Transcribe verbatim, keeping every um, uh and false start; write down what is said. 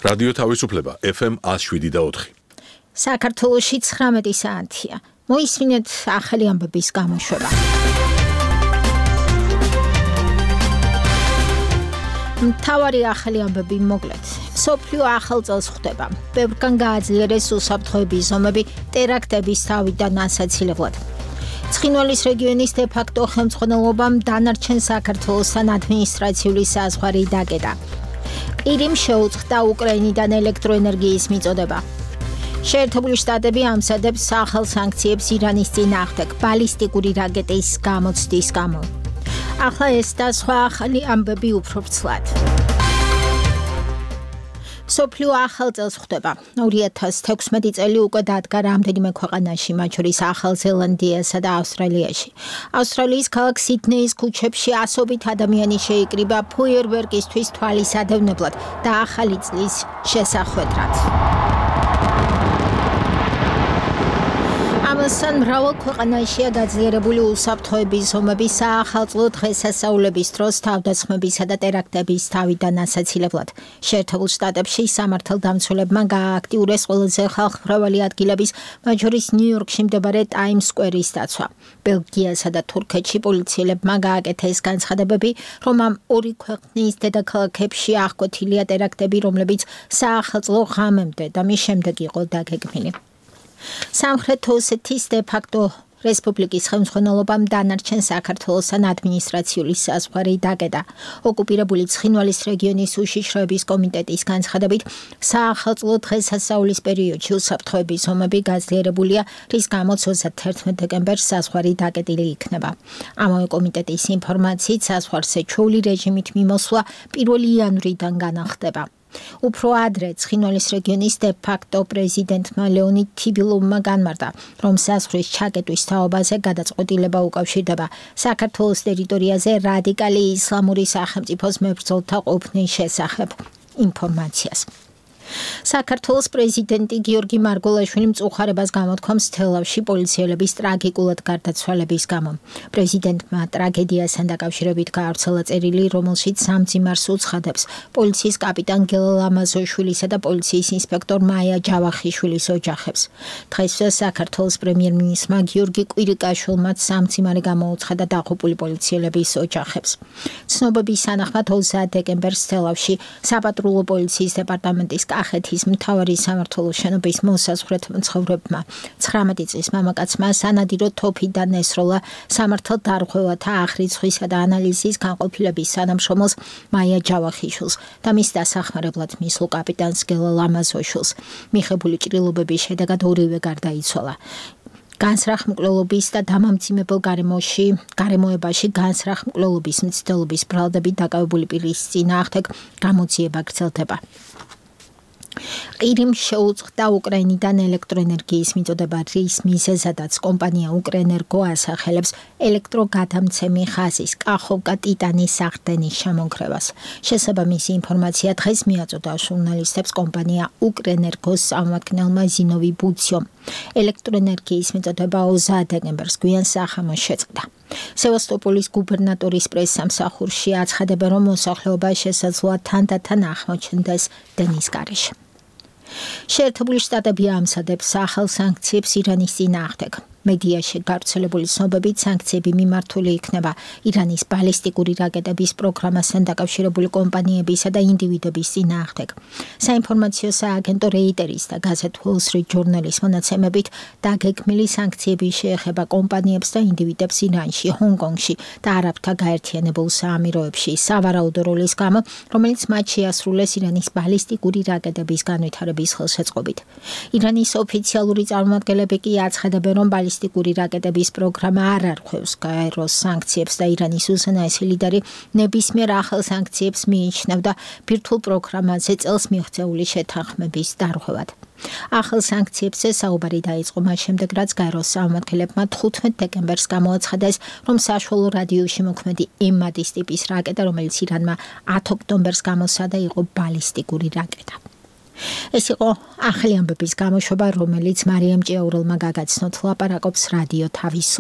რადიო თავისუფლება F M one oh seven და four. საქართველოში ცხრამეტი საათია. მოისმინეთ ახალი ამბების გამოშვება. მთავარი ახალი ამბები მოკლედ. მსოფლიო ახალ წელს ხვდება. ბევრგან გააძლიერეს უსაფრთხოების ზომები ტერაქტების თავიდან ასაცილებლად. ცხინვალის რეგიონის დე-ფაქტო ხელმძღვანელობამ დანარჩენ საქართველოსთან ადმინისტრაციული საზღვარი დაკეტა. ყირიმ შეუწყდა უკრაინიდან ელექტროენერგიის მიწოდება. შეერთებული შტატები ამზადებს ახალ სანქციებს ირანის წინააღმდეგ ბალისტიკური რაკეტის გამოცდის გამო. ახლა ეს და სხვა ახალი ამბები უფრო ვრცლად. მსოფლიო ახალ წელს ხვდება. ორი ათას თექვსმეტი წელი უკვე დადგა რამდენიმე ქვეყანაში, მათ შორის ახალ ზელანდიასა და ავსტრალიაში. ავსტრალიის ქალაქ სიდნეის ქუჩებში ასობით ადამიანი შეიკრიბა ფოიერვერკისთვის თვალისადევნებლად და ახალი წლის შესახვედრად. ამასთან მრავალ ქვეყანაშია გაძლიერებული უსაფრთხოების ზომები საახალწლო დღესასწაულების დროს თავდასხმებისა და ტერაქტების თავიდან ასაცილებლად. შეერთებულ შტატებში სამართალდამცველებმა გაააქტიურეს ყველაზე ხალხმრავალი ადგილების, მათ შორის ნიუ-იორკში მდებარე ტაიმს სკვერის დაცვა. ბელგიასა და თურქეთში პოლიციელებმა გააკეთეს განცხადებები, რომ ამ ორი ქვეყნის დედაქალაქებში აღკვეთილია ტერაქტები, რომლებიც საახალწლო ღამემდე და მის შემდეგ იყო დაგეგმილი. სამხრეთ ოსეთის დე-ფაქტო რესპუბლიკის ხელმძღვანელობამ დანარჩენ საქართველოსთან ადმინისტრაციული საზღვარი დაკეტა. ოკუპირებული ცხინვალის რეგიონის უშიშროების კომიტეტის განცხადებით, საახალწლო დღესასწაულის პერიოდში უსაფრთხოების ზომები გაძლიერებულია, რის გამოც ოცდაერთმეტ დეკემბერს საზღვარი დაკეტილი იქნება. ამავე კომიტეტის ინფორმაციით, საზღვარზე ჩვეული რეჟიმით მიმოსვლა პირველი იანვრიდან განახლდება. უფრო ადრე ცხინვალის რეგიონის დე-ფაქტო პრეზიდენტმა ლეონიდ თიბილოვმა განმარტა, რომ საზღვრის ჩაკეტვის თაობაზე გადაწყვეტილება უკავშირდება საქართველოს ტერიტორიაზე რადიკალი ისლამური სახელმწიფოს მებრძოლთა ყოფნის შესახებ ინფორმაციას. საქართველოს პრეზიდენტი გიორგი მარგველაშვილი მწუხარებას გამოთქვამს თელავში პოლიციელების ტრაგიკულად გარდაცვალების გამო. პრეზიდენტმა ტრაგედიასთან დაკავშირებით გაავრცელა წერილი, რომელშიც სამძიმარს უცხადებს პოლიციის კაპიტან გელა ლამაზოშვილისა და პოლიციის ინსპექტორ მაია ჯავახიშვილის ოჯახებს. დღესვე საქართველოს პრემიერ-მინისტრმა გიორგი კვირიკაშვილმა სამძიმარი გამოუცხადა დაღუპული პოლიციელების ოჯახებს. ცნობების თანახმად ოცდაათ დეკემბერს თელავში საპატრულო პოლიციის დეპარტამენტის კახეთის მთავარი სამმართველოს შენობის მოსაზღვრეთ მცხოვრებმა ცხრამეტი წლის მამაკაცმა სანადირო თოფიდან ესროლა სამართალდარღვევათა აღრიცხვისა და ანალიზის განყოფილების თანამშრომელს მაია ჯავახიშვილს და მის დასახმარებლად მისულ კაპიტანს გელა ლამაზოშვილს. მიღებული ჭრილობების შედეგად ორივე გარდაიცვალა. განსრახმკვლელობის და დამამძიმებელ გარემოში, გარემოებაში განსრახმკვლელობის მცდელობის ბრალდებით დაკავებული პირის წინააღმდეგ გამოძიება გრძელდება. ყირიმ შეუწყდა უკრაინიდან ელექტროენერგიის მიწოდება, რის მიზეზადაც კომპანია უკრენერგო ასახელებს ელექტროგადამცემი ხაზის კახოვკა ტიტანის აღდგენის ჩამონგრევას. შესაბამისი ინფორმაცია დღეს მიაწოდა ჟურნალისტებს კომპანია უკრენერგოს წარმომადგენელმა ზინოვი ბუციომ. ელექტროენერგიის მიწოდება ოცდაათ დეკემბერს გვიან სახამოს შეწყდა. სევასტოპოლის გუბერნატორის პრესსამსახურში აცხადებენ, რომ მოსახლეობა შესაძლოა თანდათან აღმოჩნდეს დენის გარეშე. შეერთებული შტატები ამზადებს ახალ სანქციებს ირანის წინააღმდეგ. მედიაში გავრცელებული ცნობებით სანქციები მიმართული იქნება ირანის ბალისტიკური რაკეტების პროგრამასთან დაკავშირებული კომპანიებისა და ინდივიდების წინააღმდეგ. საინფორმაციო სააგენტო რეიტერის და გაზეთ Wall Street Journal-ის მონაცემებით დაგეგმილი სანქციები შეეხება კომპანიებს და ინდივიდებს ირანში, ჰონგ-კონგში და არაბთა გაერთიანებულ საამიროებში სავარაუდო როლის გამო, რომელიც მათ შეასრულეს ირანის ბალისტიკური რაკეტების განვითარების ხელშეწყობით. ირანის ოფიციალური წარმომადგენლები კი აცხადებენ, რომ ბალისტიკური რაკეტების პროგრამა არ არღვევს გაეროს სანქციებს და ირანის უზენაესი ლიდერი ნებისმიერ ახალ სანქციებს მიიჩნევდა ბირთვულ პროგრამაზე წელს მიღწეული შეთანხმების დარღვევად. ახალ სანქციებზე საუბარი დაიწყო მას შემდეგ, რაც გაეროს წარმომადგენლებმა თხუთმეტ დეკემბერს გამოაცხადეს, რომ საშუალო რადიუსში მოქმედი ემადის ტიპის რაკეტა, რომელიც ირანმა ათ ოქტომბერს გამოსცადა, იყო ბალისტიკური რაკეტა. ეს იყო ახალი ამბების გამოშვება, რომელიც მარიამ ჭიაურელმა გაგაცნოთ. ლაპარაკობს რადიო თავისუფლება.